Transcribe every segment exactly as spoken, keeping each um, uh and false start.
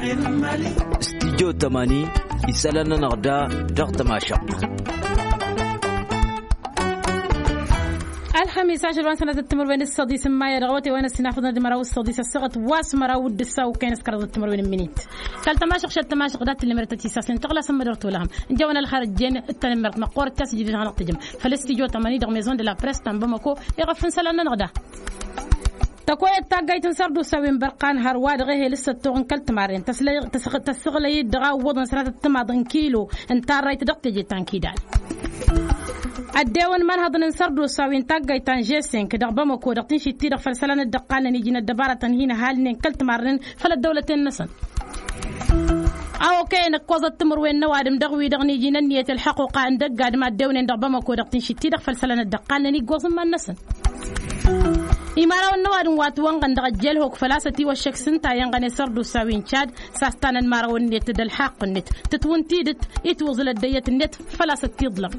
Studyo tămani isălan-nănăɣ da dăɣ-tămašăɣt. Ălxămis ašăl wa n-sănatăt timǝrwen d-săḍis n-maya dăɣ-awătay wa n-ăssinafăḍăn d-măraw s-săḍis ăssaɣăt wa s-măraw d-ǝssaw kăyăn s-kăraḍăt timǝrwen n-minit. Kăl-tămašăɣ šăt tămašăɣ dat-tǝlmărăt ătisasnen tăɣlasăn mădăr tolăhăm. Ǝnjăwăn ălxărăt jen d-tanămmert măqqoorăt ta s-ǝjrǝd hanăɣ-tǝjǝm făll-studyo tămani dăɣ-maison de la presse ta n-bamăko. Iɣăf n-isălan-nănăɣ da tăkoyăt taggayt n-sărdusa wi n-bărqan hărwa dăɣ-ehel s-săttoɣ n-kăl-timarren tăssăɣlăy-dd dăɣ-a ǝwwăḍăn sănatăt timaḍ n-kilo n-tarrayt dăɣ-teje ta n-kidal. Ăddewăn imanhăḍăn n-sărdusa wi n-taggayt ta n-žesink dăɣ-bamăko dăɣ-tinšit-ti-dăɣ făll-isălan dd-ăqqalnen iji n-ăddăbarătăn hin-ăhalnen kăl-timarren făll-ăddăwlăten-năsăn. A-okăyăn ǝkkoẓăt timǝrwen n-ăwadǝm dăɣ-wi-dăɣ n-iji n-ǝnniyăt ălxăqquqa n-dăgg-adǝm ad-dewnen dăɣ-bamăko dăɣ-tinšit-ti-dăɣ făll-isălan dd-ăqqalnen iggoẓ n-iman-năsăn. Imărawăn n-ăwadǝm wa ǝtwănɣăn dăɣ-ăjjel hok făl-a-s ătiwăššăk s-ǝnta iyyăn ɣăne sărdusa wi n-čad. S-a-s tanăn imărawăn-net d-ălxaqq-net tǝtwǝn tidǝt itwǝẓǝl ăddăyyăt-net făl-a-s ăttiḍlăm.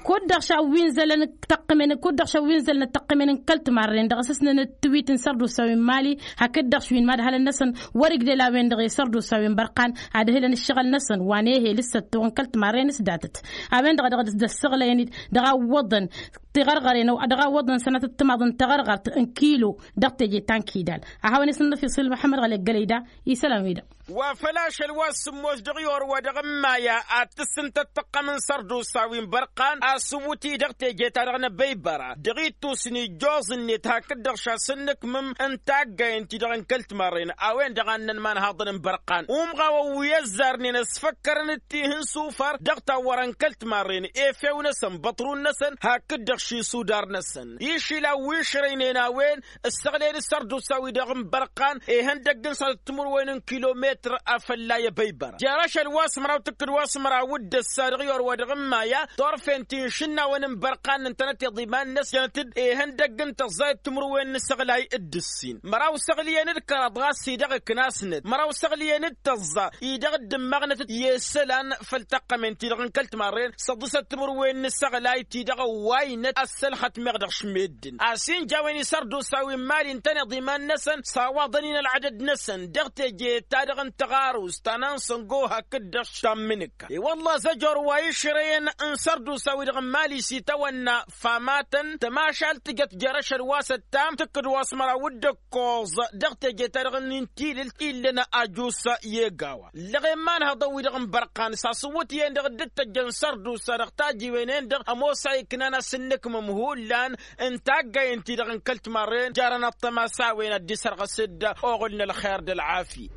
Kud-dăɣ šaw wi n-zălăn tăqqǝmen kud-dăɣ šaw wi n-zălăn tăqqǝmen n-kăl-timarren dăɣ-s ǝsnăn d-tiwit n-sărdusa wi n-mali hakd-dăɣ šwi n-madhălăn-năsăn. Wăr-igdel a-wen-dăɣ i-sărdusa wi n-bărqan ad-hǝlăn ǝššăɣǝl-năsăn wa n-ehel s-săttoɣ n-kăl-timarren s-datăt. A-wen-dăɣ a dăɣ-dd-ăssăɣlăyăn-dd dăɣ-a ǝwwăḍăn tiɣărɣăren dăɣ-a ǝwwăḍăn sănatăt timaḍ n-tiɣărɣărt n-kilo dăɣ-teje ta n-kidal. A hawăn-isǝnnăf iṣǝl măḥămmăd ɣălek gălăyda isălan-wi-dăɣ. Wa făl ašăl wa s-sǝmmos dăɣ-i orwa dăɣ-ămmaya ad-tǝssǝntăt tăqqăm n-sărdusa wi n-bărqan asǝwwǝt-i dăɣ-teje-ta-dăɣ n-abăybăra dăɣ-ittus n-ijjoẓ-net hakd-dăɣ šasăn n-ǝkmǝm n-taggay n-ti-dăɣ n-kăl-timarren a-wen-dăɣ a ǝnnăn imanhaḍăn n-bărqan umɣawăn wi ăzzarnen ăsfăkkărăn d-tihǝn sufar dăɣ-tawwăra n-kăl-timarren efew-năsăn băṭrun-năsăn hakd-dăɣ šisudar-năsăn išila wi išrăynen a-wen ǝssăɣlăyăn d-sărdusa-wi-dăɣ n-bărqan ihăndăgg n-sănatăt timǝrwen n-kilometr a fălla i-abăybăra jer-ašăl wa s-măraw tǝkkǝd wa s-măraw d-ăssa dăɣ-i orwa dăɣ-ǝmmaya torfen ti n-išǝnnawăn n-bărqan ǝntănăteḍ iman-năsăn jănăt-dd ihăndăgg n-tăẓẓayăt timǝrwen n-isăɣlay d-ǝssin măraw săɣliyăn d-kăraḍ ɣas-i-dăɣ ǝknasnăt măraw săɣliyăn d-tăẓẓa-i-dăɣ dd-ǝmmăɣnătăt i-isălan făll-tăqqămen-ti-dăɣ n-kăl-timarren săḍisăt timǝrwen n-isăɣlay-ti-dăɣ ăwwaynăt ăssălxăt meɣ dăɣ-šmeddǝn a-s inja a-wen isărdusa wi n-mali ǝntăneḍ iman-năsăn s-awaḍăn-in ălɣădăd-năsăn dăɣ-teje-ta-dăɣ n-taɣarust ta n-ansăngo hakd-dăɣ tammǝnǝkka i-wălla zăjor wa išrăyăn n-isărdusa-wi-dăɣ n-mali s-itawănna famatăn tămašalt tǝjăt jer-ašăl wa s-ăttam tǝkkǝd wa s-măraw d-ǝkkoẓ dăɣ-teje-ta-dăɣ n-intilǝlt illăn ajus i-egawa ǝllăɣen imanhăḍăn-wi-dăɣ n-bărqan s-asǝwwǝt-iyyăn-dăɣ dd-tăjjăn sărdusa dăɣ-tajiwen-en-dăɣ ămoos a iknan asǝnnǝkmǝm hullan n-taggayen-ti-dăɣ n-kăl-timarren jarăn ăṭṭăma s-a-wen ad-dd-isărɣǝs-dd oɣǝl n-ălxer d-ălɣafyăt.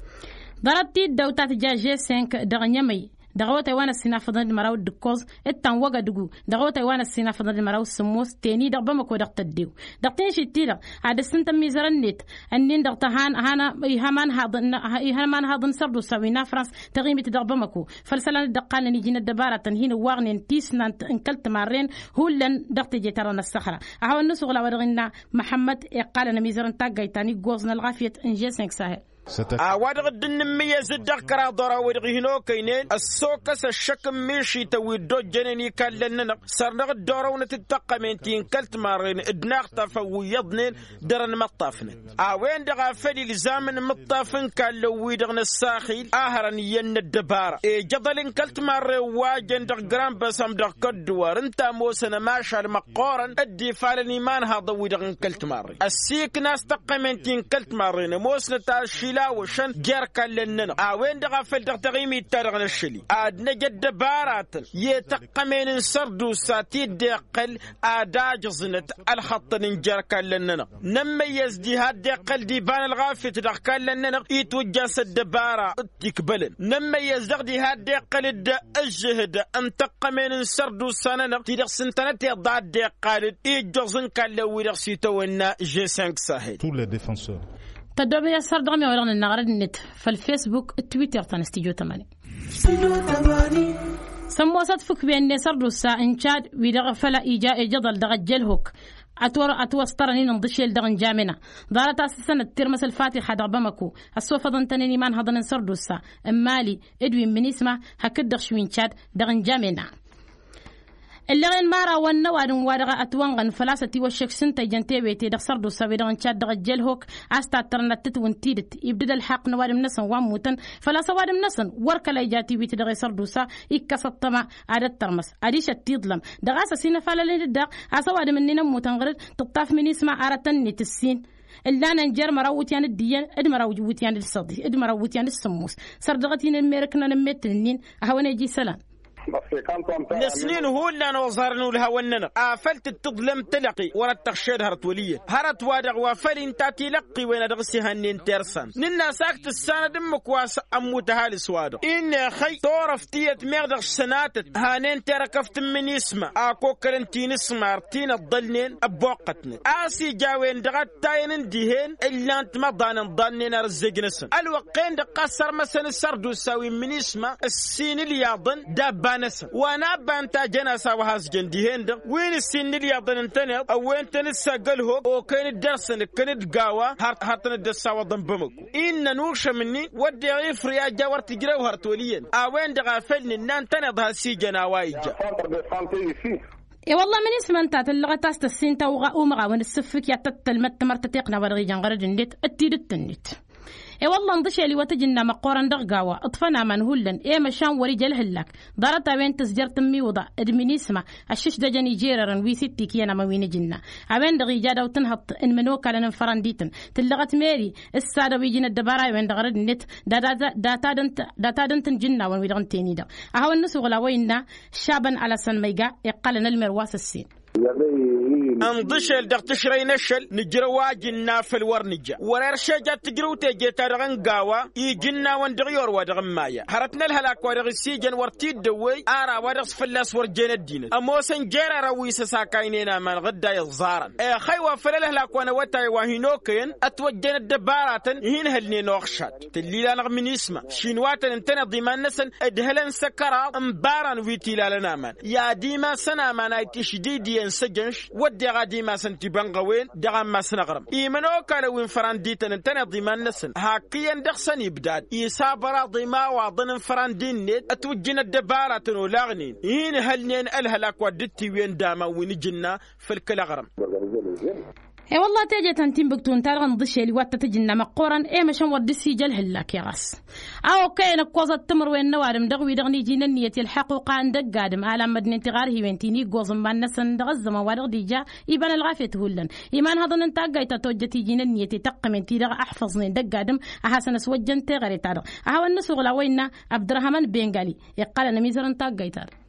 Ḍarăt-ti dd-ăwtat ja žesink dăɣ-ănămăy dăɣ-awătay wa n-ăssinafăḍăn d-măraw d-ǝkkoẓ d-tanwăgădgu dăɣ-awătay wa n-ăssinafăḍăn d-măraw s-sǝmmos teni dăɣ-bamăko dăɣ-tăddew dăɣ-tinšit-ti-dăɣ ad-ǝssǝntăn mizărăn-net ǝnnin-dăɣ tăhan ihăn imanhaḍăn sărdusa wi n-afrans tăɣimit dăɣ-bamăko făll-isălan dd-ăqqalnen iji n-ăddăbaratăn hin-ǝwwaɣnen tisnant n-kăl-timarren hullan dăɣ-teje-ta-dăɣ n-ăssăxra. A hawăn-nǝsuɣǝl a-wa dăɣ-innă măḥămmăd iqqalăn ămizărăn taggayt ta n-iggoẓ n-ălɣafyăt n-žesink sahel. A-wa-dăɣ dd-nǝmmǝyyăz-dd dăɣ-kăraḍ ora-wi-dăɣ hin-okăynen ăssokăs ăššăk n-mišităn wi dd-ojjănen ikallăn-nănăɣ săr-dăɣ dd-orăwnăt d-taqqămen-ti n-kăl-timarren d-inaxtafăn wi iyyăḍnen dăr-ănmăṭṭafnăt a-wen-dăɣ a făl ilzam n-imǝṭṭaf n-ikallăn-wi-dăɣ n-ăssaxil a hărăn iyyăn n-ăddăbara ijăḍăl n-kăl-timarren wa jăn dăɣ-grand-băsăm dăɣ-kădduwar ǝnta ămoosăn ămašal măqqoorăn dd-ifalăn imanhaḍăn-wi-dăɣ n-kăl-timarren ăssiikna a-s tăqqămen-ti n-kăl-timarren ămoosnăt ašilawăšăn jer-ikallăn-nănăɣ a-wen-dăɣ a făl dăɣ-taɣimit-ta-dăɣ n-ašăl-i ad-năj ăddăbaratăn i-tăqqămen n-sărdusa ti dd-iqqăl ad-ajǝẓnăt ălxăṭṭăn n-jer-ikallăn-nănăɣ. Nămmăyyăz diha dd-iqqăl d-iba n-ălɣafyăt dăɣ-ikallăn-nănăɣ itwǝjja s-ăddăbara d-tikbălăn nămmăyyăz dăɣ-diha dd-iqqăl d-ǝžžǝhǝd n-tăqqămen n-sărdusa-nănăɣ ti-dăɣ s-ǝntănăteḍ a dd-iqqal d-ijjuẓ n-ikallăn-wi-dăɣ s-itawănna žesink sahel. Tăddoobăy a-s har dăɣ-mi a-wa dăɣ-nănnaɣ răd-net făll-facebook d-twitter ta n-studyo tămani. Sămmosăt fǝkwen-net sărdusa n-čad wi-dăɣ făl ija ijăḍăl dăɣ-ăjjălhuk ătwăstărăn-in ǝnḍǝšel dăɣ-n jamena. Ḍarăt a-s ǝssănăt tirmăs ălfatixa dăɣ-bamăko ăssofăḍăn-tăn-in imanhăḍăn n-sărdusa n-mali d-wi n-minisma hakd-dăɣ šwi n-čad dăɣ-n jamena. Ǝlleɣen mara wănnăwadǝm wa dăɣ-ătwănɣăn făl-a-s ătiwăššek s-ǝnta ijăn tewete dăɣ-sărdusa wi-dăɣ n-cad dăɣ-ăjjel hok. A-s tattărnăt tǝtwǝn tidǝt ibdǝd ălxaqq n-ăwadǝm-năsăn wa ămmutăn făl-a-s ăwadǝm-năsăn wăr kăla ija tiwit dăɣ-e-sărdusa. Ikkăs ăṭṭăma ad-ăttărmăs adiš ăttiḍlăm dăɣ-a-s ăsinăfalăl-en-dd daɣ a-s ăwadǝm-ǝnnin ămmutăn ɣǝr-dd tǝṭṭaf minisma arătăn-net ǝssin ǝllanăn jer-măraw iwǝtyan d-iyyăn d-măraw iwǝtyan d-săḍi d-măraw iwǝtyan d-sǝmmos. Săr dăɣ-t-in-ămmerǝknăn ămmettǝn-ǝnnin ad-hawăn-ej isălan. Năsnin hullan oẓarăn ulhawăn-nănăɣ afăl tǝttǝḍlăm tălăqqi wăr-ăttăɣšed hărăt wăl' iyyăn hărăt-wa-dăɣ wa făl inta tilăqqiwen a dăɣ-s ihannen tersan nǝnn'-as ak tǝssanăd ǝmmǝk wa s-ămmut ăhalǝs-wa-dăɣ. Innă exăy turăft tiyyăt meɣ dăɣ-sănatăt hanen terăkăft n-minisma a kokkălăn tinǝsmar ti n-ăḍḍălnen ăbboqqătnăt a-s ija a-wen dăɣ-ăttayăn n-dihen ǝllan-t măḍanăn ḍannen ar ǝzzej-năsăn ălwăqq-en-dăɣ ɣas sărmăsăn s-sărdusa wi n-minisma ǝssin ilyaḍăn d-abba-năsăn wa n-abba ǝnta a jăn a-s a-wa has-jăn dihen-dăɣ wi n-ǝssin n-ilyaḍăn ǝntăneḍ ăwwentăn-dd s-agg ălhok okăyăn-dd dăr-săn ǝkkăn-dd gawa har-tăn-dd ăssawăḍăn bămăko. Innă ănušăm-ni wădden ifrǝy a ija wăr tǝjrew hărăt wăl' iyyăn a-wen-dăɣ a făl nǝnna ǝntăneḍ has-ijăn a-wa ija. E-wălla minisma ǝnta tǝllăɣăt a-s tăssin tawɣa umăɣawăn ǝssǝffǝk i-ad-tăt-tălmăd tămărt tătiqna wa dăɣ-ijăn ɣărăd-net d-tidǝt-net. E-wălla ǝnḍǝšel iwăt ǝjǝnna măqqoorăn dăɣ-gawa ǝṭfăn aman hullan i-măšan wăr-ija ălhǝllak ḍarăt-a-wen tǝzjăr tǝmmiwǝḍa d-minisma ăššǝšdăjăn ijerărăn wi s-ittik iyyăn amăn wi n-ǝjǝnna a-wen-dăɣ ija daw-tǝnhăḍt n-imănokalăn n-fărăndităn tǝllăɣăt meri s-ad-ăwijǝn ăddăbara-wen dăɣ-răd-net. Dat-ad-ǝnt n-ijǝnnawăn wi-dăɣ ǝnta-en-i-dăɣ a hawăn-nǝsuɣǝl a-wa innă šabăn alăsăn ma iga iqqălăn ălmer wa s-ǝssin. Ănḍǝšel dăɣ-tǝšrăy n-ašăl nǝjrăw ajǝnna făll-wăr nǝja wăr-erš eja d-tǝjrǝw teje-ta-dăɣ n-gawa ijǝnnawăn dăɣ-i orwa dăɣ-n maya hărăt n-ălhălak wa dăɣ-s ijăn wăr t-dd-ăwwey ar a-wa dăɣ-s fălla-s wăr jen ăddinăt ămoosăn jerarăn wi s-ăsakaynen aman ɣǝdday ǝẓẓarăn exăy wa făll-ălhălak wa n-awătay wa hin-okăyăn ătwăjjăn ăddăbaratăn ihinhălnen oɣšad. Tǝllil-anăɣ minisma šinwatăn ǝntăneḍ iman-năsăn ǝdhǝlăn s-ăkăraḍ n-ibaran wi t-ilalăn aman i-ad-imasăn aman a itǝšdidǝyăn s-ejănš wădden ad-imasăn tibănɣăwen dăɣ-ammas n-aɣrǝm. Imănokalăn wi n-fărandităn ǝntăneḍ iman-năsăn hakk iyyăn dăɣ-săn ibdad isabăraḍ imawaḍăn n-fărandi-net ătwǝjjǝn ăddăbaratăn olaɣnen ihinhălnen ălhălak wa dd-tiwǝyăn d-aman wi n-ijǝnna făll-kăl-aɣrǝm. E-wălla teje ta n-tinbǝktu ǝnta-dăɣ ǝnḍǝšel iwattat ǝjǝnna măqqoorăn i-măšan wăr dd-sijăl hǝllak i-ɣas a okăyăn ǝkkoẓăt timǝrwen n-ăwadǝm dăɣ-wi-dăɣ n-iji n-ǝnniyăt i-ălḥăquqa n-dăgg-adǝm alamădnen tiɣarhiwen ti n-iggoẓ n-iman-năsăn dăɣ-ăzzăman wa dăɣ-dija iba n-ălɣafyăt hullan. Imanhăḍăn n-taggayt ta tojjăt iji n-ǝnniyăt i-tăqqămen ti-dăɣ ăḥfăẓnen dăgg-adǝm a hasăn-ăswăjjăn teɣăre-ta-dăɣ a hawăn-nǝsuɣǝl a-wa innă abdărăhman bengali iqqălăn ămizăr n-taggayt-ta-dăɣ.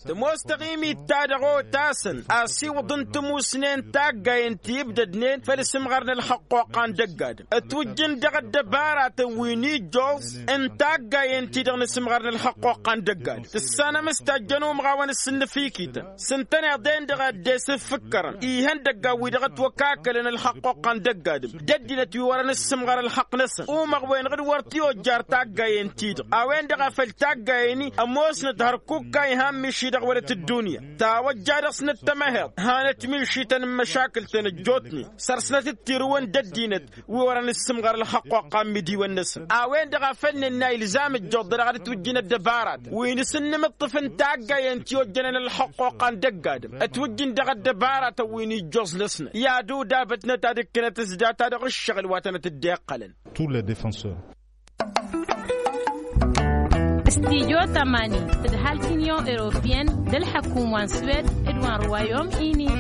Tămoos taɣimit-ta-dăɣ otasăn asiwǝḍ n-timusnen taggayen ti ǝbdădnen făll-isǝmɣar n-ălxăqquqa n-dăgg-adǝm ătwǝjjǝn dăɣ-ăddăbaratăn wi n-ijjoẓ n-taggayen-ti-dăɣ n-isǝmɣar n-ălxăqquqa n-dăgg-adǝm tǝssanăm s-tajjăn umɣawăn s-sǝnnǝfikităn s-ǝntăneḍ-en-dăɣ a dd-esǝffǝkkărăn ihăndăggan wi dăɣ-ătwăkakălăn ălxăqquqa n-dăgg-adǝm d-ăddinăt wi wărăn ǝssǝmɣăr ălxăqq-năsăn umăɣwen ɣǝd wăr t-ojjar taggayen-ti-dăɣ a-wen-dăɣ a făl taggayen-i ămoosnăt hărkukka iha n-miši-dăɣ wălăt ăddunya tawăjja dăɣ-snăt tămăheḍt hanăt milšităn n-măšakǝl-tăn ăjjootnen săr-snăt d-tirǝwăn d-ăddinăt wi wărăn ǝssǝmɣăr ălxăqquqa n-imidiwăn-năsăn. A-wen-dăɣ a făl nǝnna ilzam ǝjjoḍ dăɣ-ad-ǝtwǝjjǝn ăddăbaratăn wi n-asǝnnǝmǝṭṭǝf n-taggayen ti ojjănen ălxăqquqa n-dăgg-adǝm ătwǝjjǝn dăɣ-ăddăbaratăn wi n-ijjoẓ-năsnăt i-ad-udabătnăt ad-ǝkkǝnăt s-data dăɣ-ǝššăɣǝl wa tănăt-dd-iqqălăn. Tous les défenseurs. Studyo tămani tǝdhal t-inyon europiyăn d-ălḥăkum wa n-swed d-wa n-ruwayom ini.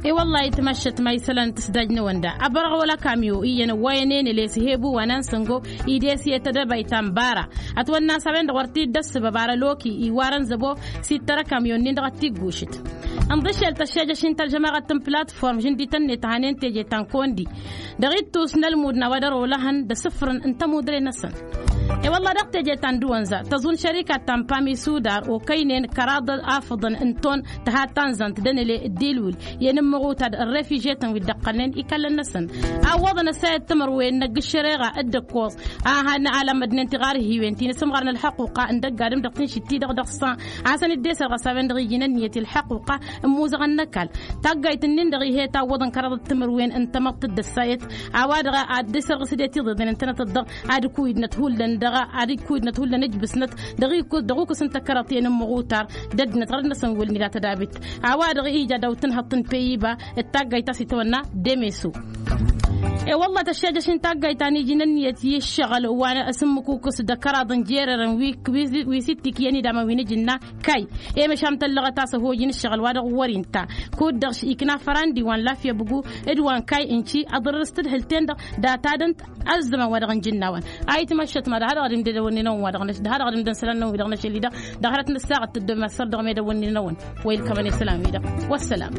I-wăllah itmăššăt ma isălan tǝsdaj n-ewănda ăbărăɣ wăla kamyo iyyăn ăwwayăn enăl i-sǝhebu wa n-ansăngo. Ides i-tedăbayt ta n-bara ătwănna s-a-wen-dăɣ wăr t-dd-ăssǝbăb ar ăloki iwarăn zăbo s-ittăr ăkamyon-nin dăɣ-ăttiggušǝt. Ǝnḍǝšel tăššejăš-in ta ălžămaɣăt n-platform žǝndităn-net hanen teje ta n-kondi dăɣ-ittus n-ălmud n-a-wa dăr-olăhăn d-asǝfrǝn n-tămudre-năsăn. I-wălla dăɣ-teje ta n-dăwănza tăẓun šărikat ta n-pami sudar okăynen kăraḍ afǝḍăn n-ton tăha tanzant d-enăle d-ilwǝl i-inǝmmăɣutad n-refižetăn wi dd-ăqqălnen ikallăn-năsăn. A ǝwwăḍăn ăssayăt timǝrwen n-ăgg-ǝššăreɣa d-ǝkkoẓ a hannă alămmădnen tiɣarhiwen ti n-asǝmɣar n-ălxăqquqa n-dăgg-adǝm dăɣ-tinšit-ti-dăɣ dăɣ-san a hasăn-dd-esăr ɣas a-wen-dăɣ iji n-ǝnniyăt i-ălxăqquqa n-imuzăɣăn n-ăkall. Taggayt-nin-dăɣ ih'-e tawwăḍăn kăraḍăt timǝrwen n-tamăḍt d-ăssayăt a-wa-dăɣ ad-dd-esărɣǝs d-e tiḍeḍen ǝntănăt-dd-dăɣ ad-ǝkuy-dnăt hullan. dăɣ-ad-ǝjkuydnăt hullan ǝjbǝsnăt dăɣ-ikǝs dăɣ-ukǝs n-tăkkărăḍt i-ănmăɣutar d-ăddinăt ɣărăt-năsăn wăl-nǝla tădabit. A-wa-dăɣ ija dăɣ-tǝnhăḍt n-păyyiba d-taggayt ta s-itwănna demeso. E-wălla tăššejăš n-taggayt ta n-iji n-ǝnniyăt i-ǝššăɣǝl wa n-asǝmmǝk ukǝs d-ăkkăraḍ n-jerărăn wi s-ittikyăn idamăn wi n-iji n-na kay. E-măšan tăllăɣăt a-s ăhoj n-ǝššăɣǝl wa dăɣ-wăr-inta kud-dăɣ ikna fărandi wa n-lafyăbgu d-wa n-kay ǝnci ăḍrăr s-tǝdhǝlt-en-dăɣ data-dăn ăzzăman wa dăɣ-nǝjǝnnawăn. A itmăššăt ma dăɣ-ha dăɣ-dd-imdădăwănninăwăn wa dăɣ-năš dăɣ-ha dăɣ-dd-imdănăsălannăwăn wi dăɣ-năšăl-i-dăɣ dăɣ-hărăt n-ăssaɣăt tăddomasăr dăɣ-medăwănninăwăn. Wa ilkămăn isălan-wi-dăɣ. Wăssălam.